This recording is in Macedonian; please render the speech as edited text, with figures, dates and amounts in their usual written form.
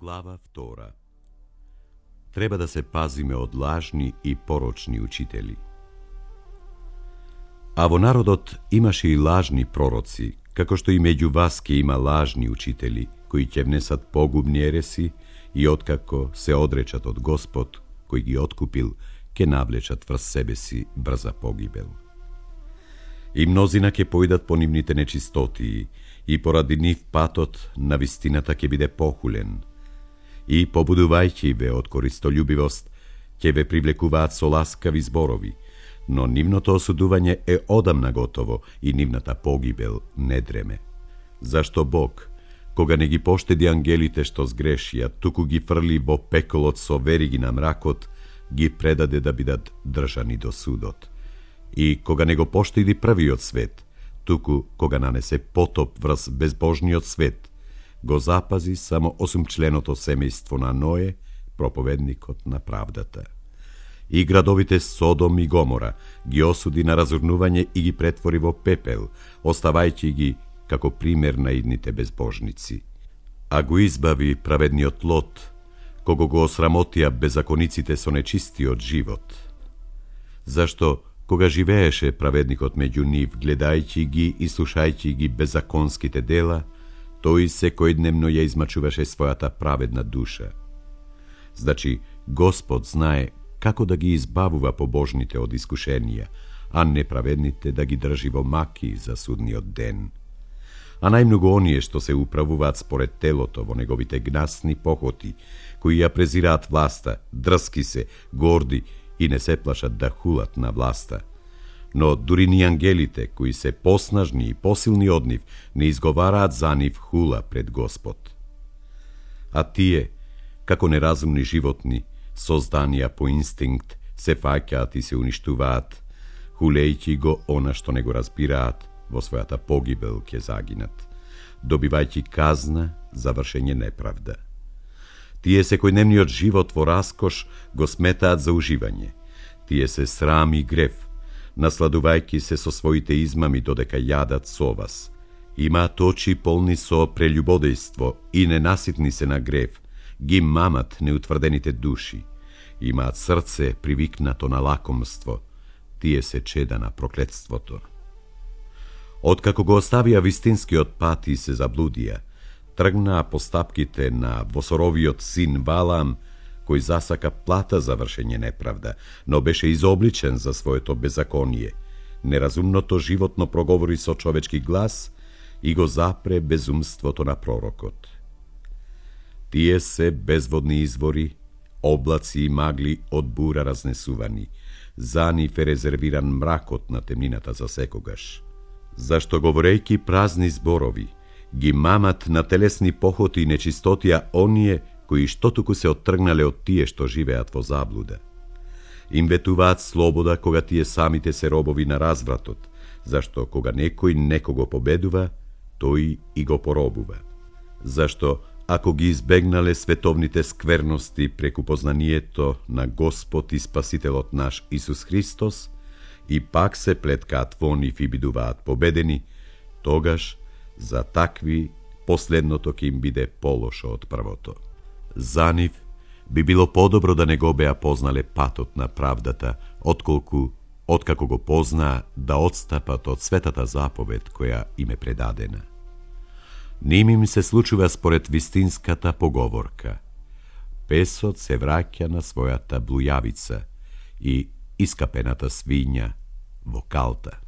Глава 2. Треба да се пазиме од лажни и порочни учители. А во народот имаше и лажни пророци, како што и меѓу вас ќе има лажни учители, кои ќе внесат погубни ереси и откако се одречат од Господ, кој ги откупил, ќе навлечат врз себе си брза погибел. И мнозина ќе појдат по нивните нечистотии, и поради нив патот на вистината ќе биде похулен. И побудувајќи ве од користолюбивост, ќе ве привлекуваат со ласкави зборови, но нивното осудување е одамна готово и нивната погибел не дреме. Зашто Бог, кога не ги поштеди ангелите што сгрешија, туку ги фрли во пеколот со вериги на мракот, ги предаде да бидат држани до судот. И кога не го поштеди првиот свет, туку кога нанесе потоп врз безбожниот свет, го запази само 8-членото семејство на Ное, проповедникот на правдата. И градовите Содом и Гомора ги осуди на разурнување и ги претвори во пепел, оставајќи ги како пример на идните безбожници. А го избави праведниот Лот, кого го осрамотија беззакониците со нечистиот живот. Зашто, кога живееше праведникот меѓу нив, гледајќи ги и слушајќи ги беззаконските дела, тој секојдневно ја измачуваше својата праведна душа. Значи, Господ знае како да ги избавува побожните од искушенија, а неправедните да ги држи во маки за судниот ден. А најмногу оние што се управуваат според телото во неговите гнасни похоти, кои ја презираат власта, дрски се, горди и не се плашат да хулат на власта. Но дури ни ангелите, кои се поснажни и посилни од нив, не изговараат за нив хула пред Господ. А тие, како неразумни животни, созданија по инстинкт, се фаќаат и се уништуваат, хулејќи го она што не го разбираат, во својата погибел ќе загинат, добивајќи казна за вршење неправда. Тие секојдневниот живот во раскош го сметаат за уживање. Тие се срам и грев, насладувајќи се со своите измами додека јадат со вас. Имаат очи полни со прелюбодејство и ненаситни се на грев, ги мамат неутврдените души. Имаат срце привикнато на лакомство, тие се чеда на проклетството. Откако го оставија вистинскиот пат и се заблудија, тргнаа по стапките на восоровиот син Валам, кој засака плата за вршење неправда, но беше изобличен за своето беззаконие. Неразумното животно проговори со човечки глас и го запре безумството на пророкот. Тие се безводни извори, облаци и магли од бура разнесувани, за нив е резервиран мракот на темнината за секогаш. Зашто говорејќи празни зборови, ги мамат на телесни похоти и нечистотија оние кои што туку се оттргнале од тие што живеат во заблуда. Им ветуваат слобода кога тие самите се робови на развратот, зашто кога некој некого победува, тој и го поробува. Зашто ако ги избегнале световните скверности преку познанието на Господ и Спасителот наш Исус Христос, и пак се плеткаат во нив и бидуваат победени, тогаш за такви последното ќе им биде полошо од првото. За нив би било подобро да не го беа познале патот на правдата, откако го познаа да отстапат од светата заповед која им е предадена. Ним им се случува според вистинската поговорка: песот се враќа на својата блујавица и искапената свиња во калта.